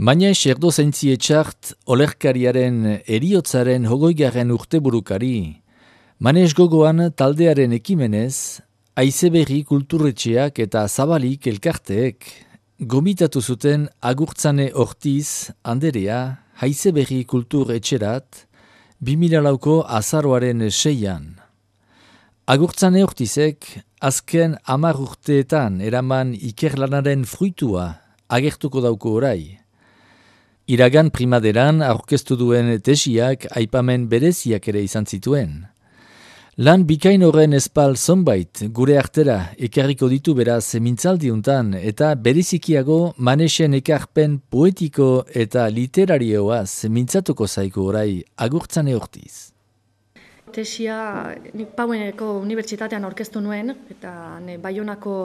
Mañez erdozaintzi etxart olerkariaren eriotzaren 20. urteburukari, Mañez gogoan taldearen ekimenez, Haizeberri kulturretxeak eta Zabalik elkarteek gomitatu zuten Agurtzane Ortiz Anderea Haizeberri kulturretxerat 2004ko azaroaren 6an. Agurtzane Ortizek azken 10 urteetan eraman ikerlanaren fruitua agertuko dauko orai. Iragan primaderan aurkeztu duen tesiak aipamen bereziak ere izan zituen. Lan bikain horren espal zonbait gure artera ekarriko ditu beraz mintzaldiuntan eta berezikiago Manezen ekarpen poetiko eta literarioaz mintzatuko zaiko orai Agurtzane Ortiz. Tesia nik Paueneko unibertsitatean aurkeztu nuen eta Baionako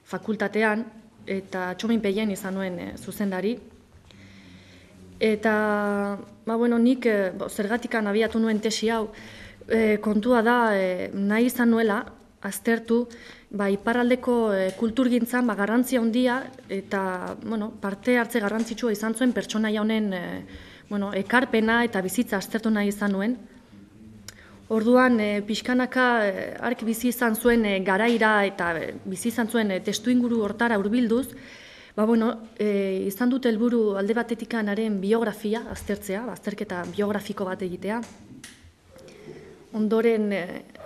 fakultatean eta Txomin Peien izan nuen zuzendari. Eta nik zergatikan abiatu nuen tesi hau, kontua da nahi izan nuela aztertu iparraldeko kulturgintzan garrantzia handia eta parte hartze garrantzitsua izan zuen pertsonaia honen ekarpena eta bizitza aztertu nahi izan nuen. Orduan pixkanaka ark bizi izan zuen garaira eta bizi izan zuen testuinguru hortara hurbilduz, izan dut helburu alde batetikan haren biografia aztertzea, azterketa biografiko bat egitea. Ondoren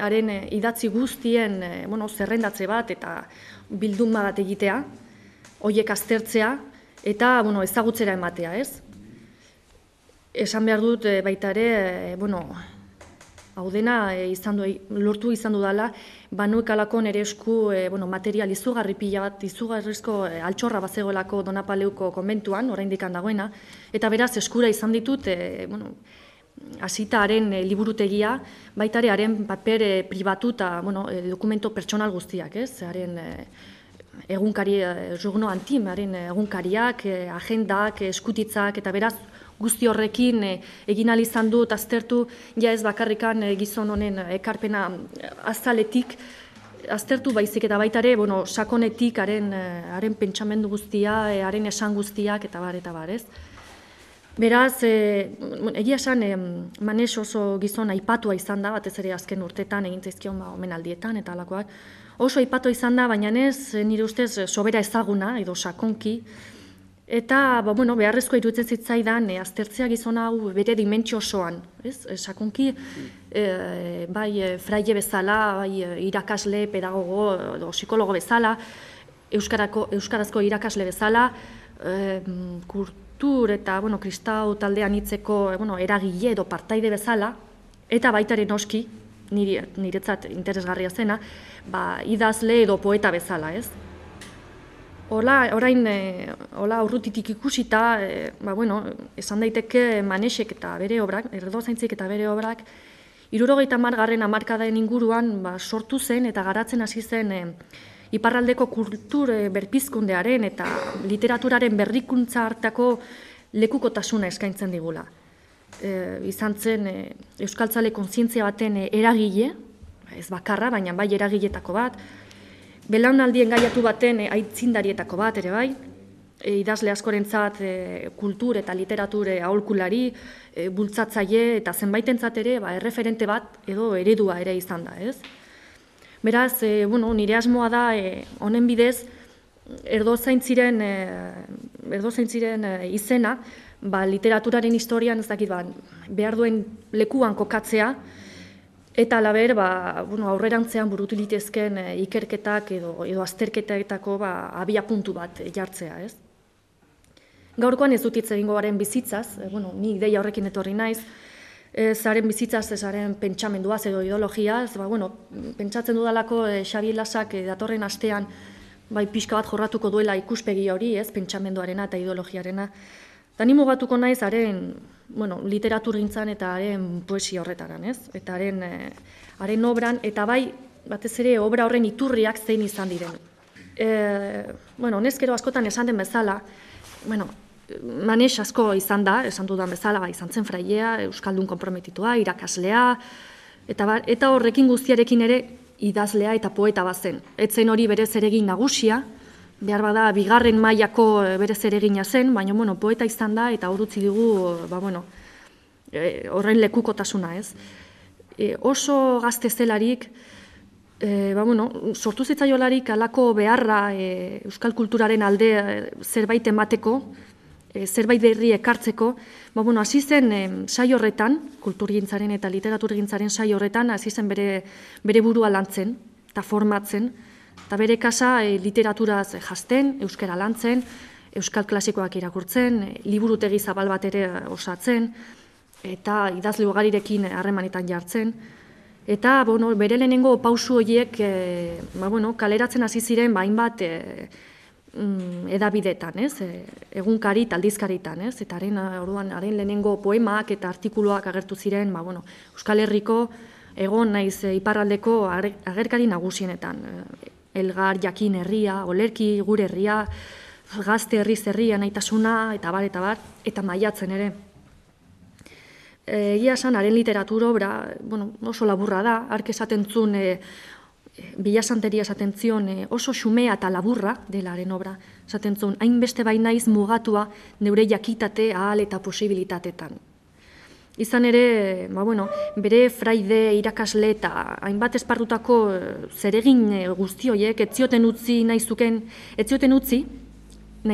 haren idatzi guztien zerrendatze bat eta bilduma bat egitea, horiek aztertzea eta ezagutzera ematea, ez? Esan behar dut baita ere, hau dena lortu izan dudala, banuek alako nere esku material izugarri pila bat, izugarrizko altxorra bazegoelako Donapaleuko konbentuan, oraindik dagoena, eta beraz eskura izan ditut, hasita haren liburutegia, baita ere haren paper pribatu eta dokumento pertsonal guztiak, ez? Haren egunkari, Journo Antim, haren egunkariak, agendak, eskutitzak, eta beraz guzti horrekin egin ahal izan dut aztertu, ja ez bakarrikan gizon honen ekarpena azaletik, aztertu baizik eta baita ere, sakonetik haren pentsamendu guztia, haren esan guztiak, eta bar, ez? Beraz, egia esan, Manes oso gizon aipatua izan da, batez ere azken urtetan, egin zaizkion omenaldietan, eta alakoak. Oso aipatua izan da, baina ez, nire ustez, sobera ezaguna, edo sakonki, eta beharrezko iruditzen zitzaidan aztertzea gizona hau bere dimentsio osoan, ez? Sakonki, bai fraile bezala, bai irakasle, pedagogo, edo psikologo bezala, euskarazko irakasle bezala, kultur eta kristau taldean hitzeko eragile edo partaide bezala, eta baitaren noski, niretzat interesgarria zena, idazle edo poeta bezala, ez? Orain urrutitik ikusita, esan daiteke Manezek eta bere obrak, erdozaintzik eta bere obrak, 70. hamarkadaren inguruan sortu zen eta garatzen hasi zen iparraldeko kultur berpizkundearen eta literaturaren berrikuntza hartako lekukotasuna eskaintzen digula. Izan zen euskaltzale kontzientzia baten eragile, ez bakarra, baina bai eragiletako bat, belaunaldien gaiatu baten aitzindarietako bat ere bai, idazle askorentzat kultur eta literatur aholkulari, bultzatzaile eta zenbaitentzat ere erreferente bat edo eredua ere izan da, ez? Beraz, nire asmoa da honen bidez erdozaintziren izena, literaturaren historian ez dakit behar duen lekuan kokatzea, eta alaber, aurrerantzean burutu litezken ikerketak edo azterketetako abia puntu bat jartzea, ez? Gaurkoan ez dut hitz egingo garen bizitzaz, ni ideia horrekin etorri naiz, zaren bizitzaz, zaren pentsamenduaz edo ideologiaz, pentsatzen dudalako Xabi Lasak datorren astean pixka bat jorratuko duela ikuspegi hori, ez, pentsamenduarena eta ideologiarena. Eta ni mugatuko naiz haren literaturgintzan eta haren poesia horretaran, ez? Eta haren obran, eta batez ere obra horren iturriak zein izan diren. Honezkero askotan esan den bezala, Manez asko izan da, esan dudan bezala, izan zen frailea, euskaldun konprometitua, irakaslea, eta horrekin guztiarekin ere idazlea eta poeta bazen. Ez zen hori berez ere egin nagusia, behar bada bigarren mailako bere zeregina zen, baina poeta izan da eta hor utzi dugu horren lekukotasuna, ez. Oso gazte zelarik, sortu zitzaiolarik alako beharra euskal kulturaren alde zerbait emateko, zerbait berri ekartzeko, hasi zen saio horretan, kulturgintzaren eta literaturgintzaren saio horretan, hasi zen bere burua lantzen eta formatzen, eta bere kasa literaturaz jazten, euskara lantzen, euskal klasikoak irakurtzen, liburutegi zabal bat ere osatzen, eta idazle ugarirekin harremanetan jartzen. Eta bere lehenengo pausu horiek kaleratzen hasi ziren hainbat edabidetan, egunkari eta aldizkaritan, eta haren lehenengo poemak eta artikuluak agertu ziren Euskal Herriko egon naiz iparraldeko agerkari nagusienetan. Elgar, Jakin herria, Olerki, Gure herria, Gazte herriz herria, Naitasuna, eta bar, eta Maiatzen ere. Egia esan, haren literatura obra oso laburra da, hark esaten zuen, Bilasanteria esaten zion, oso xumea eta laburra dela haren obra, esaten zuen, hainbeste bainaiz mugatua neure jakitate ahal eta posibilitatetan. Izan ere, bere fraide, irakasle eta hainbat esparrutako zeregin guzti horiek etzioten utzi nahi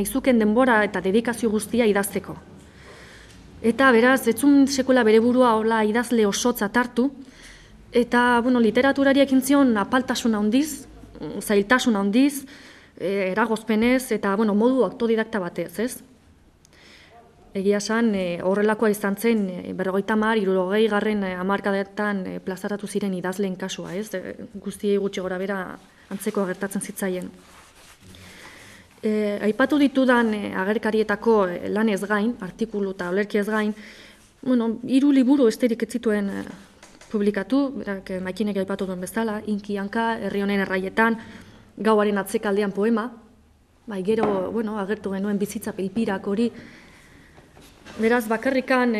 zuken denbora eta dedikazio guztia idazteko. Eta beraz, etzun sekuela bere burua hola idazle osotzat hartu, eta literaturari ekin zion apaltasuna handiz, zailtasuna handiz, eragozpenez eta modu autodidakta batez, ez? Egia esan, horrelakoa izan zen, 50-60 hamarkadetan plazaratu ziren idazleen kasua, ez? Guztiei gutxi gora bera antzeko gertatzen zitzaien. Aipatu ditudan agerkarietako lanez gain, artikulu eta olerki ez gain, 3 liburu esterik ez zituen publikatu, berak Maikinek aipatu duen bezala, Inki Hanka, Herri honen erraietan, Gauaren atzekaldean poema, gero, agertu genuen bizitza pilpirak hori, beraz, bakarrikan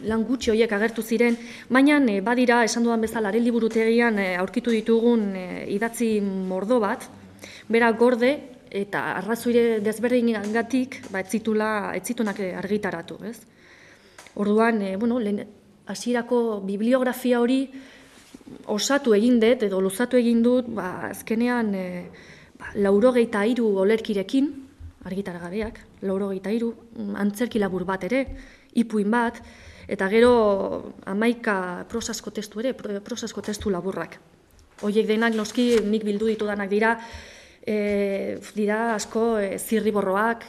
lan gutxi horiek agertu ziren, baina badira, esan dudan bezala, haren liburutegian aurkitu ditugun idatzi mordo bat, bera gorde eta arrazoire desberdinagatik ez zitunak argitaratu, ez? Orduan, hasierako bibliografia hori osatu egin dut edo luzatu egin dut, azkenean 93 olerkirekin, argitaragabeak, 93, antzerki labur bat ere, ipuin bat, eta gero 11 prosasko testu laburrak. Hoiek denak noski nik bildu ditudanak dira asko zirriborroak,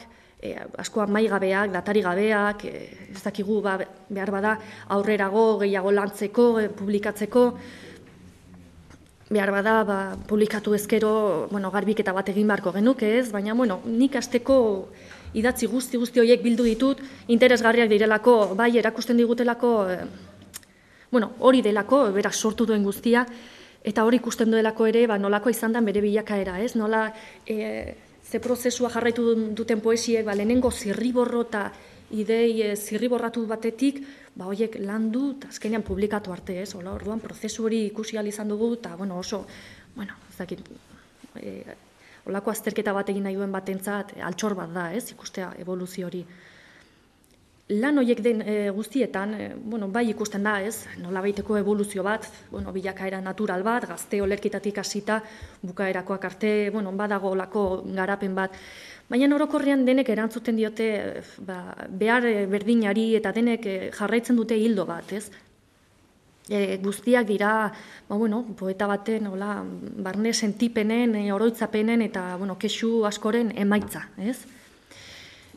asko amaigabeak, datarigabeak, ez dakigu behar bada aurrerago gehiago lantzeko, publikatzeko, behar bada publikatu ezkero garbiketa bat egin beharko genuke ez, baina nik hasteko idatzi guzti horiek bildu ditut, interesgarriak direlako, bai erakusten digutelako, hori delako, berak sortu duen guztia, eta hori ikusten duelako ere, nolako izan da bere bilakaera, ez? Nola ze prozesua jarraitu duten poesiek, lehenengo zirriborro eta idei zirriborratu batetik, horiek landu eta azkenean publikatu arte, ez? Orduan prozesu hori ikusi ahal izan dugu, eta oso, ez dakit, olako azterketa bat egin nahi duen batentzat, altxor bat da, ez? Ikustea evoluzio hori. Lan horiek den guztietan, bai ikusten da, ez, nolabaiteko evoluzio bat, bilakaera natural bat, gazte olerkitatik hasita, bukaerakoak arte, badago olako garapen bat. Baina orokorrean denek erantzuten diote behar berdinari eta denek jarraitzen dute hildo bat, ez. Guztiak dira, poeta baten, barne sentipenen, oroitzapenen eta kexu askoren emaitza, ez.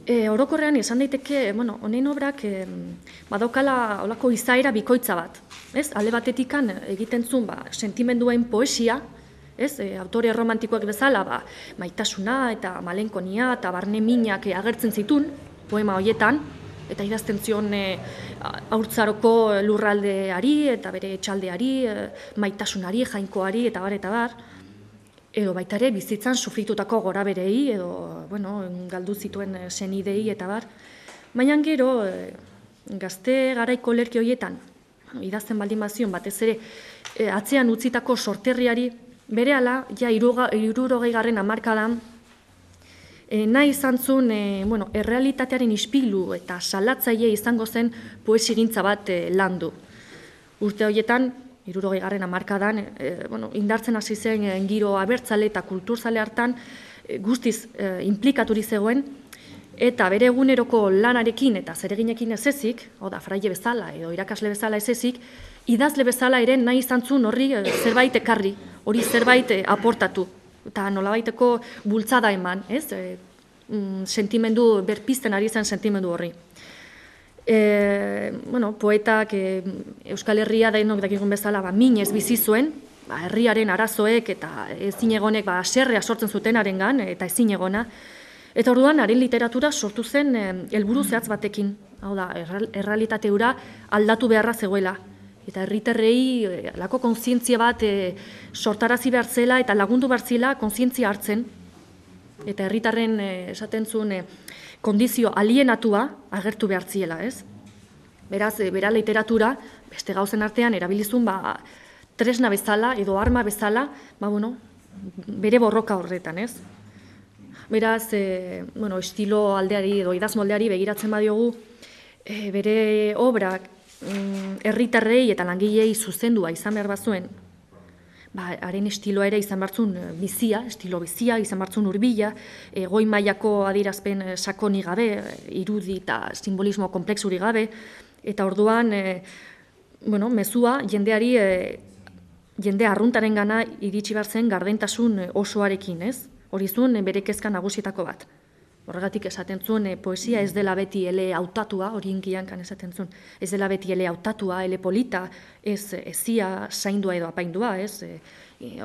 Orokorrean esan daiteke, honen obrak badaukala olako izaera bikoitza bat. Alde batetikan egiten zuen sentimenduen poesia, autore romantikoak bezala maitasuna eta malenkonia eta barne minak agertzen zituen poema horietan, eta idazten zion haurtzaroko lurraldeari eta bere etxaldeari, maitasunari, jainkoari eta bar, edo baita ere bizitzan sufritutako goraberei, edo galdu zituen senidei eta bar. Baina gero, gazte garaiko olerki horietan, idazten baldin bazion batez ere, atzean utzitako sorterriari berehala, ja 60. hamarkadan, nahi izan zuen, errealitatearen ispilu eta salatzaile izango zen poesigintza bat landu. Urte horietan, 60. hamarkadan, indartzen hasi zen giro abertzale eta kulturzale hartan guztiz implikaturi zegoen, eta bere eguneroko lanarekin eta zereginekin ez ezik, fraile bezala edo irakasle bezala ez ezik, idazle bezala ere nahi izan zuen horri zerbait ekarri, hori zerbait aportatu. Eta nolabaiteko bultzada eman, ez? Sentimendu, berpizten ari zen sentimendu horri. Poetak Euskal Herria denok dakigun bezala minez bizi zuen, herriaren arazoek eta ezinegonek haserrea sortzen zutenarengan eta ezinegona. Eta orduan, haren literatura sortu zen helburu zehatz batekin. Hau da, errealitate hura aldatu beharra zegoela. Eta herritarrei lako kontzientzia bat sortarazi behar zela eta lagundu behar zela kontzientzia hartzen. Eta herritarren esaten zuen kondizio alienatua agertu behar ziela, ez? Beraz, bera literatura, beste gauzen artean, erabilizun tresna bezala edo arma bezala, bere borroka horretan, ez? Beraz, estilo aldeari edo idazmoldeari begiratzen badiogu, bere obrak herritarrei eta langilei zuzendua izan behar bazuen, haren estiloa ere izan barzun bizia, estilo bizia, izan barzun hurbila, goi mailako adierazpen sakoni gabe, irudi eta simbolismo komplexuri gabe, eta orduan, mezua jendeari, jende arruntaren gana iritsi behar zen gardentasun osoarekin, ez? Hori zuen bere kezka nagusietako bat. Horregatik esaten zuen, poesia ez dela beti ele hautatua, hori inkiankan esaten zuen, ez dela beti ele hautatua, ele polita, ez ezia zaindua edo apaindua, ez?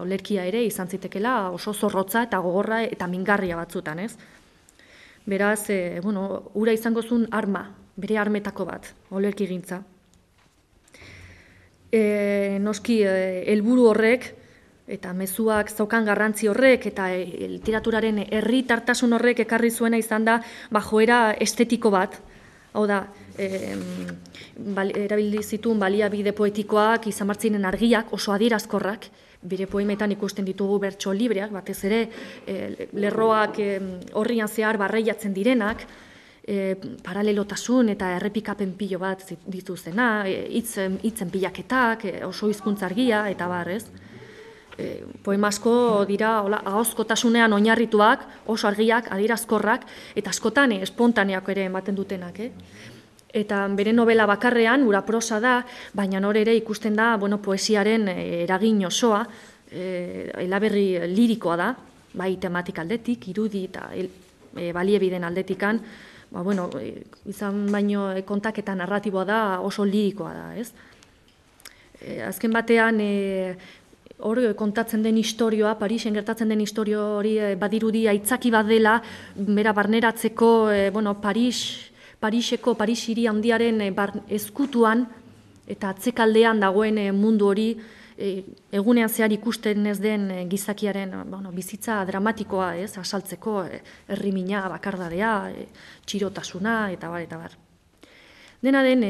Olerkia ere izan zitekela oso zorrotza eta gogorra eta mingarria batzutan, ez? Beraz, ura izango zuen arma, bere armetako bat, olerki gintza. Noski, helburu horrek, eta mezuak zaukan garrantzi horrek eta literaturaren herritartasun horrek ekarri zuena izan da joera estetiko bat. Hau da, erabili zituen baliabide poetikoak, izan martzinen argiak, oso adierazkorrak, bere poemetan ikusten ditugu bertso libreak, batez ere lerroak horrian zehar barreiatzen direnak, paralelotasun eta errepikapen pilo bat dituzena, hitzen pilaketak, oso hizkuntza argia eta barrez. Poema asko dira ahozkotasunean oinarrituak, oso argiak, adierazkorrak, eta askotan espontaneak ere ematen dutenak. Eta bere novela bakarrean, ura prosa da, baina hor ere ikusten da poesiaren eragin osoa, elaberri lirikoa da, bai tematik aldetik, irudi eta baliebiden aldetikan, izan baino kontaketa narratiboa da, oso lirikoa da, ez? Azken batean, hor kontatzen den historioa, Parisen gertatzen den historio hori badirudi aitzaki bat dela, bera barneratzeko, Pariseko, Paris hiri handiaren ezkutuan eta atzekaldean dagoen mundu hori egunean zehar ikusten ez den gizakiaren bizitza dramatikoa, ez, asaltzeko, herrimina, bakardadea, txirotasuna, eta bar. Dena den,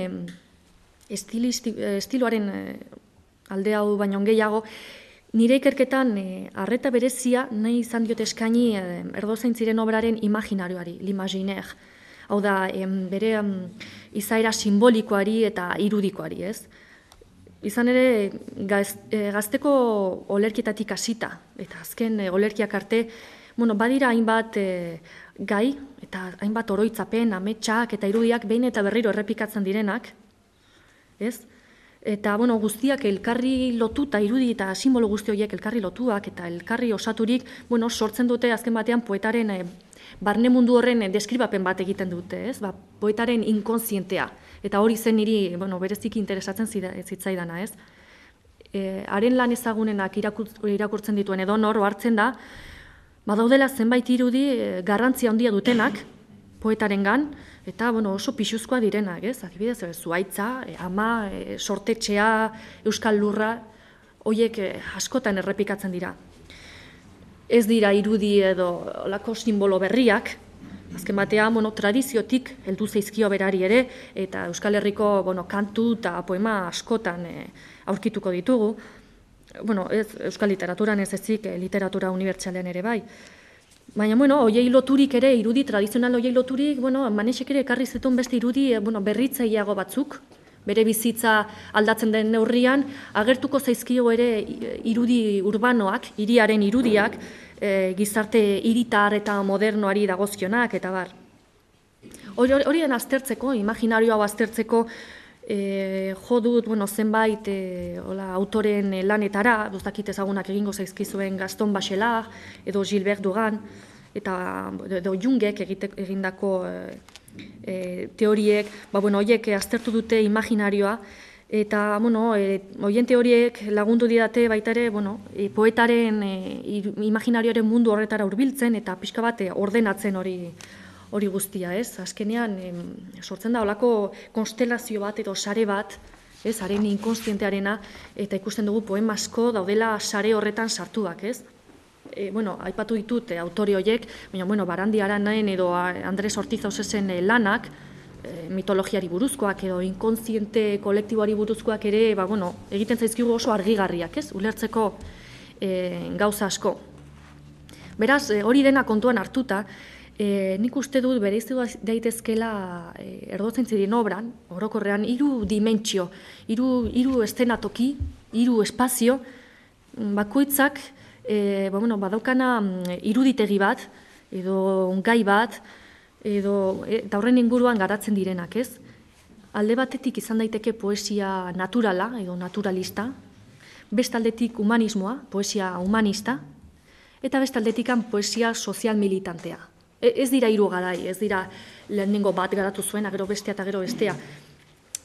estiloaren alde hau baino gehiago, nire ikerketan arreta berezia nahi izan diot eskaini Erdozain ziren obraren imaginarioari, l'imaginaire. Hau da, bere izaera simbolikoari eta irudikoari, ez? Izan ere, gazteko olerkietatik hasita, eta azken olerkiak arte, badira hainbat gai, eta hainbat oroitzapen, ametsak eta irudiak behin eta berriro errepikatzen direnak, ez? Eta, guztiak elkarri lotuta, irudi eta simbolo guzti horiek elkarri lotuak eta elkarri osaturik, sortzen dute azken batean poetaren barne mundu horren deskribapen bat egiten dute, ez? Poetaren inkonzientea. Eta hori zen niri, bereziki interesatzen zitzaidana, ez? Haren lan ezagunenak irakurtzen dituen edo nor hartzen da, badaudela zenbait irudi garrantzia handia dutenak poetarengan, eta oso pixuzkoa direnak, ez? Adibidez, zuhaitza, ama, sortetxea, euskal lurra, horiek askotan errepikatzen dira. Ez dira irudi edo olako simbolo berriak, azken batean tradiziotik heldu zaizkio berari ere, eta Euskal Herriko kantu eta poema askotan aurkituko ditugu. euskal literaturan ez ezik, literatura unibertsalean ere bai. Baina, hoiei loturik ere, irudi tradizional hoiei loturik, Manesek ere ekarri zetun beste irudi, berritzaileago batzuk, bere bizitza aldatzen den neurrian, agertuko zaizkio ere irudi urbanoak, hiriaren irudiak, gizarte hiritar eta modernoari dagozkionak, eta bar. Horien aztertzeko, imaginario hau aztertzeko, jo dut, zenbait autoren lanetara, duztakit ezagunak egingo zaizkizuen Gaston Bachelard, edo Gilbert Duran, edo Jungek egindako teoriek, horiek aztertu dute imaginarioa, eta, horien teoriek lagundu didate baita ere, poetaren imaginarioaren mundu horretara hurbiltzen, eta pixka bat ordenatzen hori guztia, ez? Azkenean, sortzen da holako konstelazio bat edo sare bat, ez? Haren inkonstientearena, eta ikusten dugu poema asko daudela sare horretan sartuak, ez? Aipatu ditut autore horiek, baina, Barandi Aranaen edo Andres Ortiz Ausesen lanak, mitologiari buruzkoak edo inkontziente kolektiboari buruzkoak ere, egiten zaizkigu oso argigarriak, ez? Ulertzeko gauza asko. Beraz, hori dena kontuan hartuta, nik uste dut bereizu daitezkela Erdozaintzaren obran, orokorrean, 3 dimentsio, 3 eszenatoki, 3 espazio, bakoitzak badaukana iruditegi bat, edo gai bat, eta horren inguruan garatzen direnak, ez? Alde batetik izan daiteke poesia naturala, edo naturalista, bestaldetik humanismoa, poesia humanista, eta bestaldetikan poesia sozial militantea. Ez dira 3 garai, ez dira lehenengo bat garatu zuen, gero bestea eta gero bestea.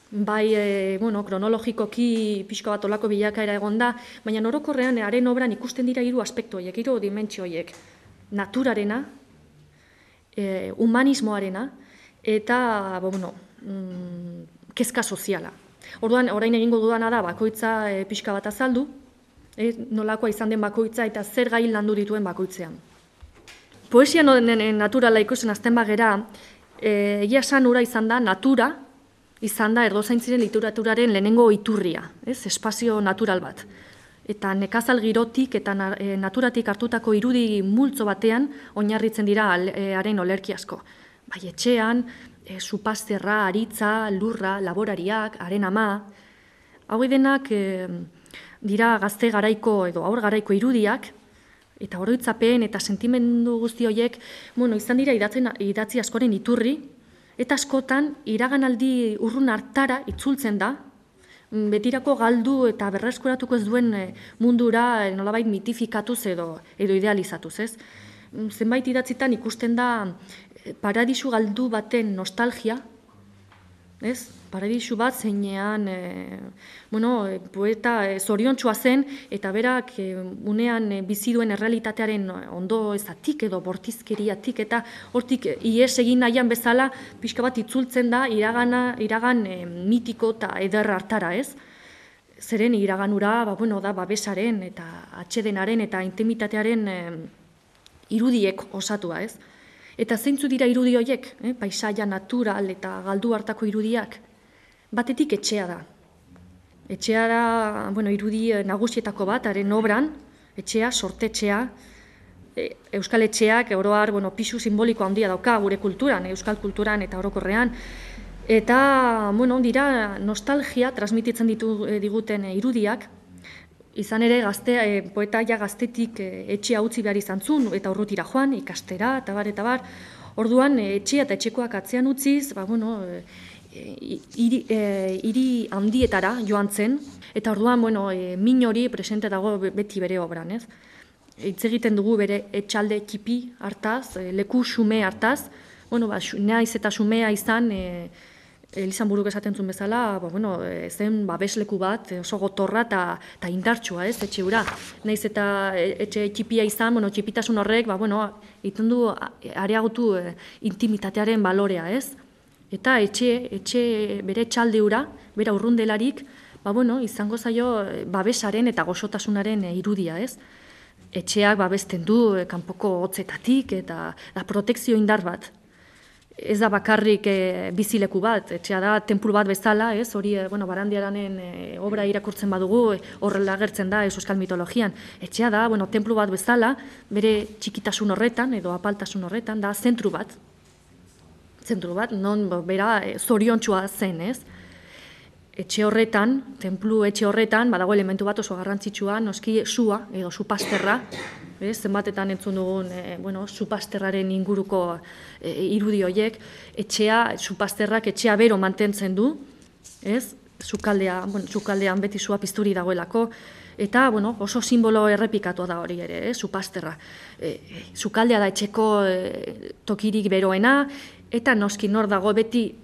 Bai, kronologikoki pixka bat olako bilakaera egon da, baina orokorrean haren obran ikusten dira 3 aspektu horiek, 3 dimentsio horiek. Naturarena, humanismoarena, eta, kezka soziala. Orduan, orain egingo dudana da, bakoitza pixka bat azaldu, nolakoa izan den bakoitza eta zer gai landu dituen bakoitzean. Poesia naturala ikusten azten bagera, egia esan ura izan da, natura izan da Erdozaintzaren literaturaren lehenengo iturria, espazio natural bat. Eta nekazal girotik eta naturatik hartutako irudi multzo batean oinarritzen dira haren olerki asko. Bai etxean, supazterra, aritza, lurra, laborariak, haren ama, hau denak dira gazte garaiko edo aur garaiko irudiak, eta oroitzapen eta sentimendu guzti horiek, izan dira idatzi askoren iturri, eta askotan iraganaldi urrun hartara itzultzen da, betirako galdu eta berreskuratuko ez duen mundura nolabait mitifikatuz edo idealizatuz, ez? Zenbait idatzitan ikusten da paradisu galdu baten nostalgia, ez? Paradisu bat zeinean, poeta zoriontsua zen, eta berak unean bizi duen errealitatearen ondo ezatik edo bortizkeriatik, eta hortik ihes egin nahian bezala pixka bat itzultzen da iragan mitiko eta eder hartara, ez? Zeren iraganura, da babesaren eta atsedenaren eta intimitatearen irudiek osatua, ez? Eta zeintzu dira irudi horiek, paisaia natural eta galdu hartako irudiak? Batetik etxea da. Etxea da, irudi nagusietako bat, haren obran, etxea, sortetxea, euskal etxeak, oroar, pisu simboliko handia dauka gure kulturan, euskal kulturan eta orokorrean. Eta, dira nostalgia transmititzen diguten irudiak, izan ere poeta gaztetik etxea utzi behar izan zuen, eta urrutira joan, ikastera, eta bar. Orduan, etxea eta etxekoak atzean utziz, hiri handietara joan zen, eta orduan, min hori presente dago beti bere obran, ez? Hitz egiten dugu bere etxalde txipi hartaz, leku xume hartaz, naiz eta xumea izan, Elizanburuk esaten zuen bezala, zen babesleku bat, oso gotorra eta indartsua, ez, etxe hura. Naiz eta etxe txipia izan, txipitasun horrek, egiten du areagotu intimitatearen balorea, ez? Eta bere etxalde hura, bera urrundelarik, izango zaio babesaren eta goxotasunaren irudia, ez? Etxeak babesten du kanpoko hotzetatik eta protekzio indar bat. ez da bakarrik bizileku bat, etxea da tenplu bat bezala, ez? Hori, Barandiaranen obra irakurtzen badugu, horrela agertzen da euskal mitologian. Etxea da, tenplu bat bezala, bere txikitasun horretan, edo apaltasun horretan, da zentru bat. Zentru bat, non bera zoriontsua zen, ez? Etxe horretan, tenplu etxe horretan, badago elementu bat oso garrantzitsua, noski sua, edo supasterra, zenbatetan entzun dugun, supasterraren inguruko irudi horiek, supasterrak etxea bero mantentzen du, ez? Sukaldean beti sua pizturi dagoelako, eta, oso simbolo errepikatua da hori ere, supasterra. Sukaldea da etxeko tokirik beroena, eta noski nor dago beti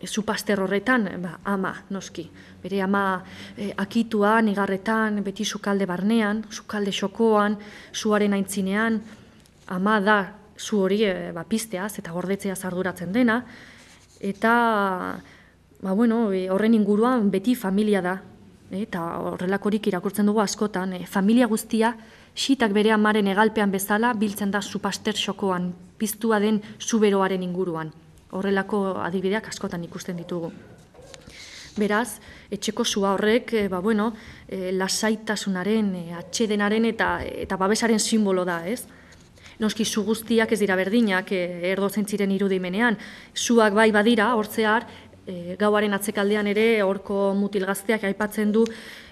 supaster horretan, ama, noski. Bere ama akituan, igarretan, beti sukalde barnean, sukalde xokoan, suaren aintzinean, ama da zu hori pizteaz eta gordetzeaz arduratzen dena, eta horren inguruan beti familia da, eta horrelakorik irakurtzen dugu askotan, familia guztia, xitak bere amaren egalpean bezala, biltzen da supaster xokoan, piztua den zuberoaren inguruan. Horrelako adibideak askotan ikusten ditugu. Beraz, etxeko sua horrek, lasaitasunaren, atsedenaren eta babesaren simbolo da, ez? Noski, su guztiak ez dira berdinak erdozentziren irudimenean. Suak bai badira, hortzear, gauaren atzekaldean ere, horko mutil gazteak aipatzen du,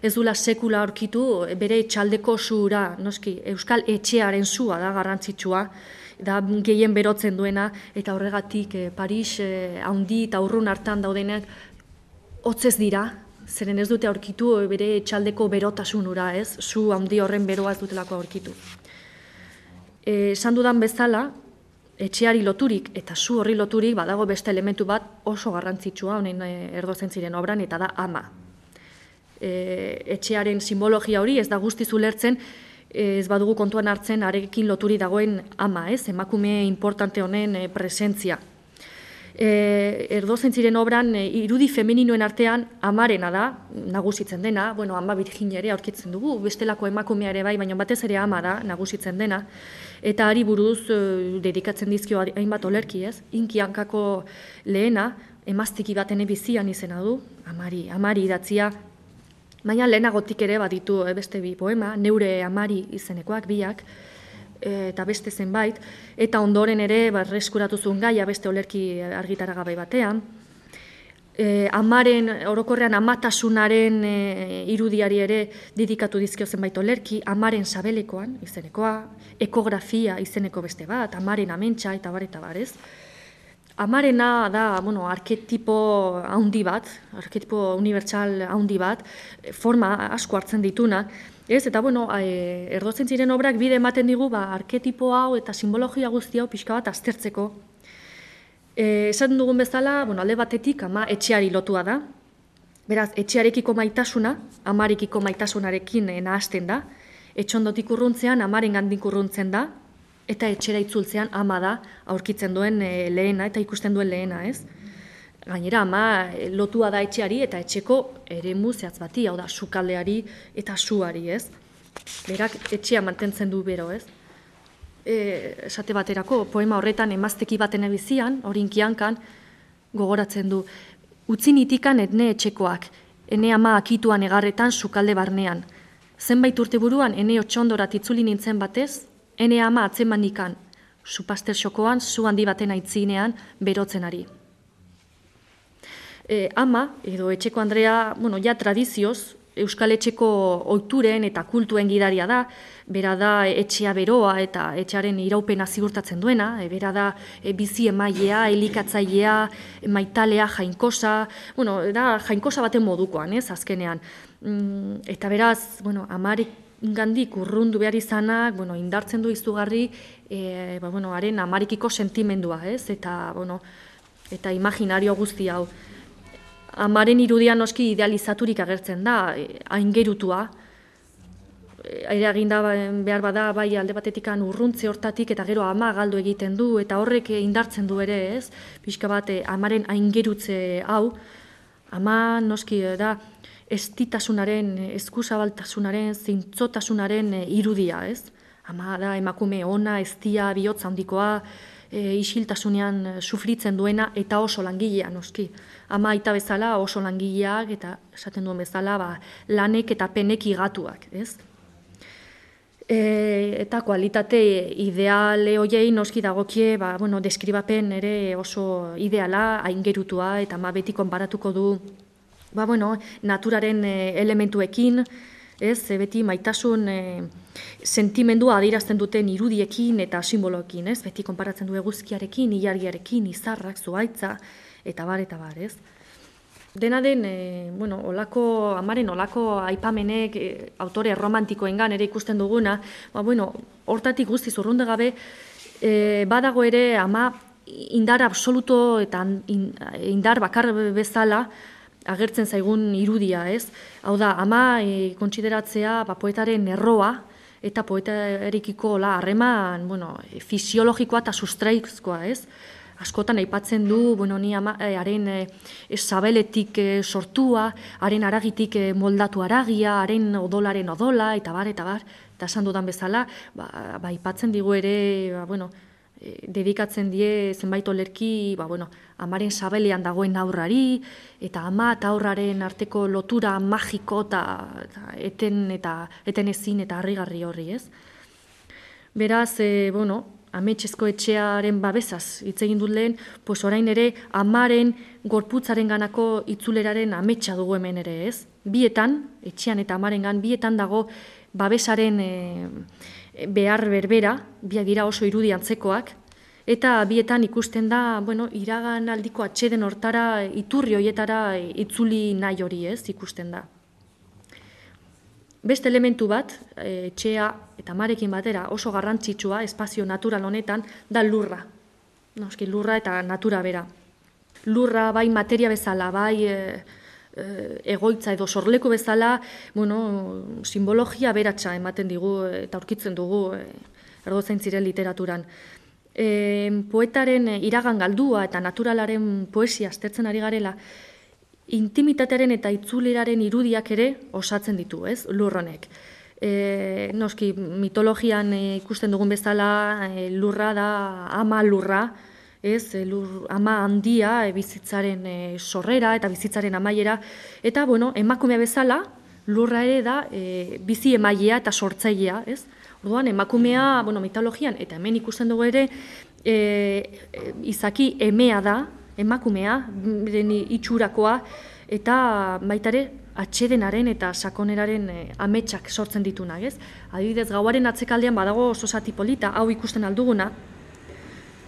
ez dula sekula aurkitu bere txaldeko suura, noski, euskal etxearen sua da garrantzitsua, da gehien berotzen duena, eta horregatik Paris handi eta urrun hartan daudenak hotzez dira, zeren ez dute aurkitu bere txaldeko berotasunura, ez? Su handi horren beroa ez dutelako aurkitu. Esan dudan bezala, etxeari loturik eta su horri loturik badago beste elementu bat oso garrantzitsua honen erdozentziren obran, eta da ama. Etxearen simbologia hori ez da guztiz ulertzen, ez badugu kontuan hartzen arekin loturi dagoen ama, ez? Emakume importante honen presentzia. Erdozentziren obran irudi femeninoen artean amarena da, nagusitzen dena, ama Virginia ere aurkitzen dugu, bestelako emakumea ere bai, baina batez ere ama da, nagusitzen dena, eta hari buruz dedikatzen dizkio hainbat olerki, ez? Inki hankako lehena, emaztiki baten bizian izena du, amari idatzia, baina lehenagotik ere baditu beste bi poema, neure amari izenekoak biak, eta beste zenbait, eta ondoren ere berreskuratu zuen gaia beste olerki argitaragabe batean. Amaren, orokorrean amatasunaren irudiari ere dedikatu dizkio zenbait olerki, amaren sabelekoan izenekoa, ekografia izeneko beste bat, amaren amentsa eta bar, ez? Amarena da, arketipo handi bat, arketipo unibertsal handi bat, forma asko hartzen dituna, ez? Eta, erdozentziren obrak bide ematen digu, arketipo hau eta simbologia guzti hau pixka bat aztertzeko. Esan dugun bezala, alde batetik ama etxeari lotua da, beraz, etxearekiko maitasuna, amarekiko maitasunarekin nahasten da, etxondotik urruntzean, amaren gandik urruntzen da, eta etxera itzultzean ama da aurkitzen duen lehena eta ikusten duen lehena, ez? Gainera, ama lotua da etxeari eta etxeko eremu zehatz bati, hau da, sukaldeari eta suari, ez? Berak etxea mantentzen du bero, ez? Esate baterako, poema horretan emazteki baten ebizian, horinkiankan, gogoratzen du, utzi nitikan etne etxekoak, ene ama akituan egarretan sukalde barnean. Zenbait urte buruan, ene otxondorat itzuli nintzen batez, ene ama atzeman nikan, supaster xokoan, zu handi baten aitzinean, berotzen ari. Ama, edo etxeko Andrea, ja tradizioz, Euskal Etxeko ohituren eta kultuen gidaria da, bera da etxea beroa eta etxearen iraupena ziurtatzen duena, bera da bizi emailea, elikatzailea, maitalea, jainkosa, da jainkosa baten modukoan, ez, azkenean. Eta beraz, amarik gandik urrundu behar izanak, indartzen du izugarri, haren amarikiko sentimendua, ez, eta imaginario guzti hau. Amaren irudian noski idealizaturik agertzen da, aingerutua. Eraginda behar bada bai alde batetikan urruntze hortatik eta gero ama galdu egiten du eta horrek indartzen du ere, ez? Pixka bat amaren aingerutze hau, ama noski da estitasunaren, eskuzabaltasunaren, zintzotasunaren irudia, ez? Ama da emakume ona, eztia, bihotz handikoa, isiltasunean sufritzen duena eta oso langilea noski. Ama aita bezala oso langileak eta esaten duen bezala lanek eta penek igatuak, ez? Eta kualitate ideale hoiei noski dagokie, deskribapen ere oso ideala, aingerutua, eta beti konparatuko du naturaren elementuekin, ez, beti maitasun sentimendua adierazten duten irudiekin eta simboloekin, ez, beti konparatzen du eguzkiarekin, ilargiarekin, izarrak, zuhaitza, eta bar, ez. Dena den, amaren olako aipamenek autore romantikoengan ere ikusten duguna, hortatik guztiz urrunde gabe, badago ere ama indar absoluto eta indar bakar bezala agertzen zaigun irudia, ez? Hau da, ama kontsideratzea poetaren erroa eta poetarekiko harreman fisiologikoa eta sustraizkoa, ez? Askotan aipatzen du, ni haren sabeletik sortua, haren aragitik moldatu aragia, haren odolaren odola, eta bar, eta esan dudan bezala, aipatzen digu ere, dedikatzen die zenbait olerki, amaren sabelean dagoen aurrari, eta ama eta aurraren arteko lotura magiko eten ezin eta harrigarri horri, ez? Beraz, ametxezko etxearen babesaz hitz egin dut lehen, orain ere amaren gorputzaren ganako itzuleraren ametsa dugu hemen ere, ez? Bietan, etxean eta amarengan, bietan dago babesaren behar berbera, biak dira oso irudi antzekoak, eta bietan ikusten da, iragan aldiko atxeden hortara, iturri hoietara itzuli nahi hori, ez, ikusten da. Beste elementu bat, etxea eta amarekin batera oso garrantzitsua espazio natural honetan, da lurra. Noski, lurra eta natura bera. Lurra bai materia bezala, bai egoitza edo sorleku bezala, simbologia beratsa ematen digu eta aurkitzen dugu erdozain ziren literaturan. Poetaren iragan galdua eta naturalaren poesia aztertzen ari garela, intimitatearen eta itzuleraren irudiak ere osatzen ditu, ez, lurronek. Noski, mitologian ikusten dugun bezala, lurra da ama lurra, ez, ama handia bizitzaren sorrera eta bizitzaren amaiera, eta, emakumea bezala, lurra ere da bizi emailea eta sortzailea, ez? Orduan, emakumea, mitologian, eta hemen ikusten dugu ere, izaki emea da, emakumea, itxurakoa, eta baitare atxedenaren eta sakoneraren ametsak sortzen ditunak, ez? Adibidez, gauaren atzekaldean badago oso zati polita, hau ikusten alduguna,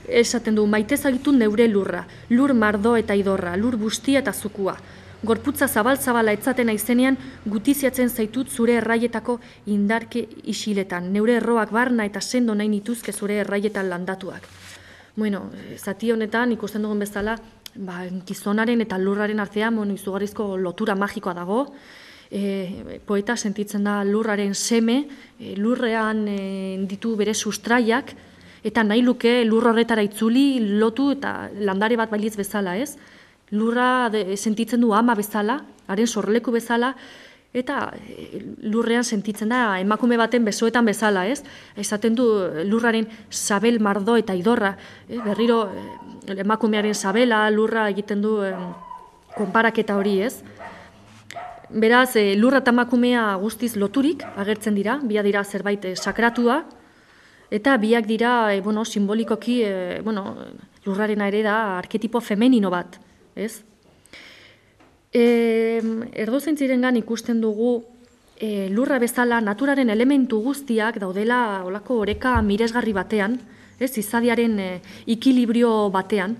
esaten du, maite zagitu neure lurra, lur mardo eta idorra, lur bustia eta zukua. Gorputza zabal-zabala etzatena izenean, gutiziatzen zaitut zure erraietako indarke isiletan, neure erroak barna eta sendo nahi nituzke zure erraietan landatuak. Zati honetan ikusten dugun bezala, gizonaren eta lurraren artean izugarrizko lotura magikoa dago, poeta sentitzen da lurraren seme, lurrean ditu bere sustraiak, eta nahi luke lur horretara itzuli, lotu eta landare bat bailiz bezala, ez? Lurra sentitzen du ama bezala, haren sorleku bezala, eta lurrean sentitzen da emakume baten besoetan bezala, ez? Esaten du lurraren sabel, mardo eta idorra, berriro emakumearen sabela, lurra egiten du konparaketa hori, ez? Beraz, lurra eta emakumea guztiz loturik agertzen dira, biak dira zerbait sakratua, eta biak dira, simbolikoki, lurrarena ere da arketipo femenino bat, ez? Erdozein zirengan ikusten dugu lurra bezala naturaren elementu guztiak daudela olako oreka miresgarri batean, ez, izadiaren ikilibrio batean.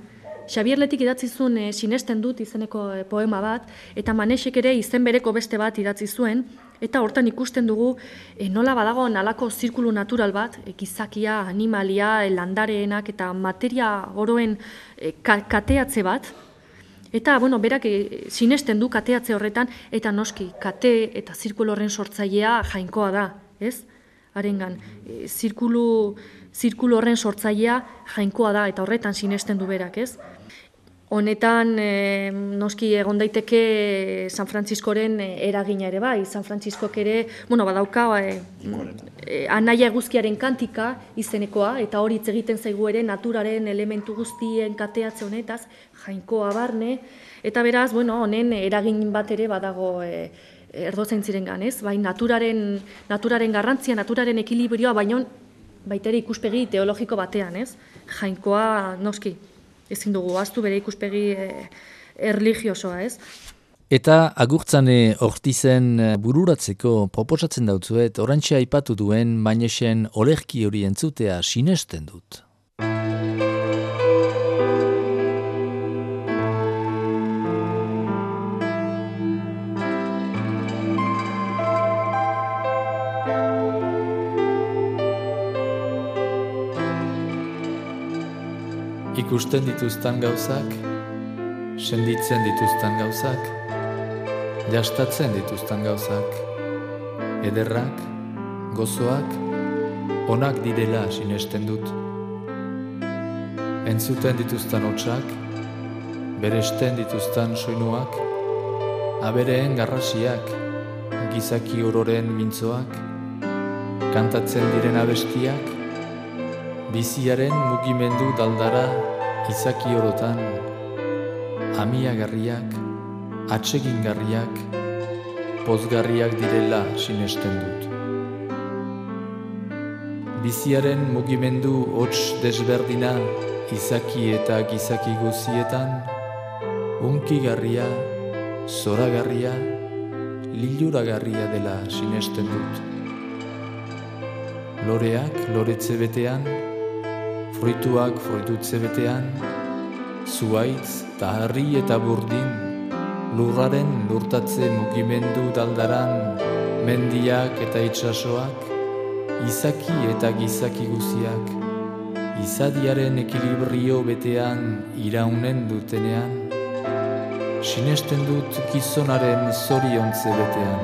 Xabier Letik idatzi zuen sinesten dut izeneko poema bat, eta Manesek ere izen bereko beste bat idatzi zuen, eta hortan ikusten dugu nola badago nalako zirkulu natural bat, gizakia, animalia, landareenak eta materia oroen kateatze bat, eta, berak sinesten du kateatze horretan, eta noski, kate eta zirkulu horren sortzailea jainkoa da, ez? Harengan, zirkulu horren sortzailea jainkoa da, eta horretan sinesten du berak, ez? Honetan, noski egon daiteke San Frantziskoren eragina ere bai. San Frantziskok ere, badauka anaia eguzkiaren kantika izenekoa, eta hori hitz egiten zaigu ere naturaren elementu guztien kateatze honetaz, jainkoa barne, eta beraz, honen eragin bat ere badago erdozaintzirengan, ez? Bai, naturaren garrantzia, naturaren ekilibrioa, baita ere ikuspegi teologiko batean, ez? Jainkoa, noski, ezin dugu ahaztu bere ikuspegi erlijiosoa, ez? Eta Agurtzane Ortizen bururatzeko proposatzen dautzuet, orantxe aipatu duen Mañesen olerki hori entzutea sinesten dut. Ikusten dituzten gauzak, senditzen dituzten gauzak, jastatzen dituzten gauzak, ederrak, gozoak, onak direla sinesten dut. Entzuten dituzten hotsak, beresten dituzten soinuak, abereen garrasiak, gizaki ororen mintzoak, kantatzen diren abestiak, biziaren mugimendu daldara izaki orotan, amiagarriak, atsegingarriak, pozgarriak direla sinesten dut. Biziaren mugimendu hots desberdina izaki eta gizaki guzietan, hunkigarria, zoragarria, liluragarria dela sinesten dut. Loreak loretze betean, fruituak fruitutze betean, zuaitz, taharri eta burdin, lurraren lurtatze mugimendu daldaran, mendiak eta itsasoak, izaki eta gizaki guziak, izadiaren ekilibrio betean iraunen dutenean, sinesten dut gizonaren zoriontze betean.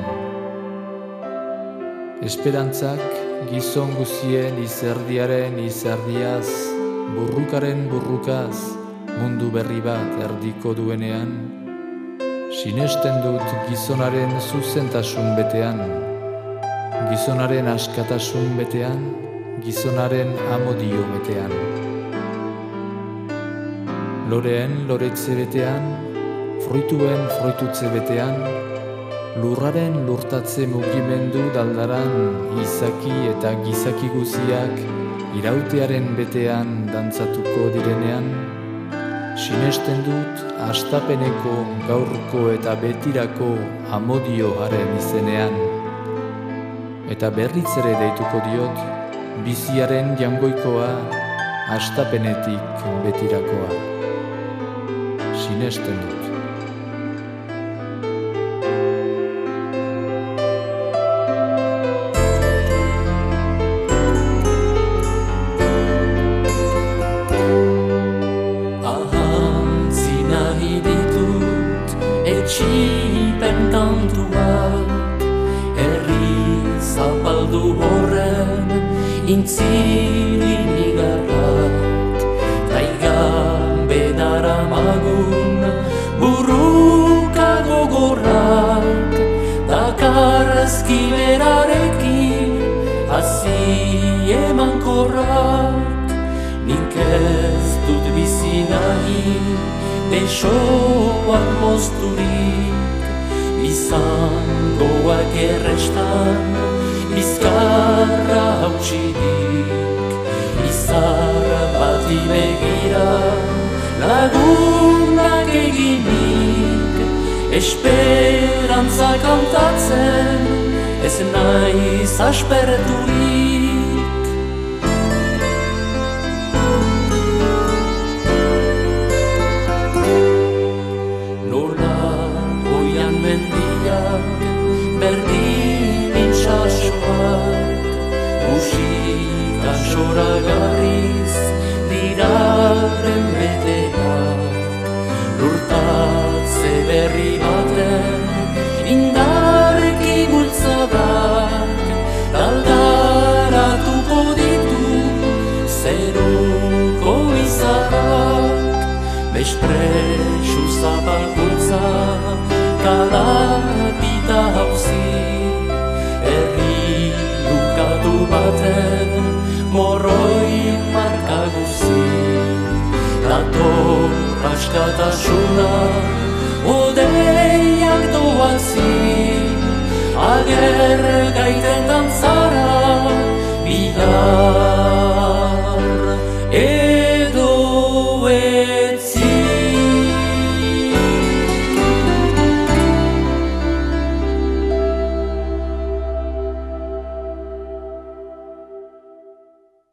Esperantzak gizon guzien izerdiaren izerdiaz, burrukaren burrukaz, mundu berri bat erdiko duenean, sinesten dut gizonaren zuzentasun betean, gizonaren askatasun betean, gizonaren amodio betean. Loreen loretze betean, fruituen fruitutze betean, lurraren lurtatze mugimendu daldaran, izaki eta gizaki guziak irautearen betean dantzatuko direnean, sinesten dut hastapeneko, gaurko eta betirako amodioaren izenean. Eta berriz ere deituko diot, biziaren jangoikoa, hastapenetik betirakoa. Sinesten dut. Etxipen kantuak, herri zapaldu horren intzilin igarrak, taigan bedara magun burruka gogorrak, dakarzki berarekin hazi emankorrak, nik ez dut bizi nahi besoak mozturik, izangoak errestan, bizkarra hautsirik, izar bati begira, lagunak eginik, esperantza kantatzen, ez naiz asperturik. Berdin intxasoak, musika soragarriz diraren beteak, lurtatze berri baten indarki bultzadak, daldaratuko ditu zeruko izarak, bespre kalapita hauzi, herri lukatu baten morroi marka guzi. Dator askatasuna, odeiak doazi, ager gaiten dantza.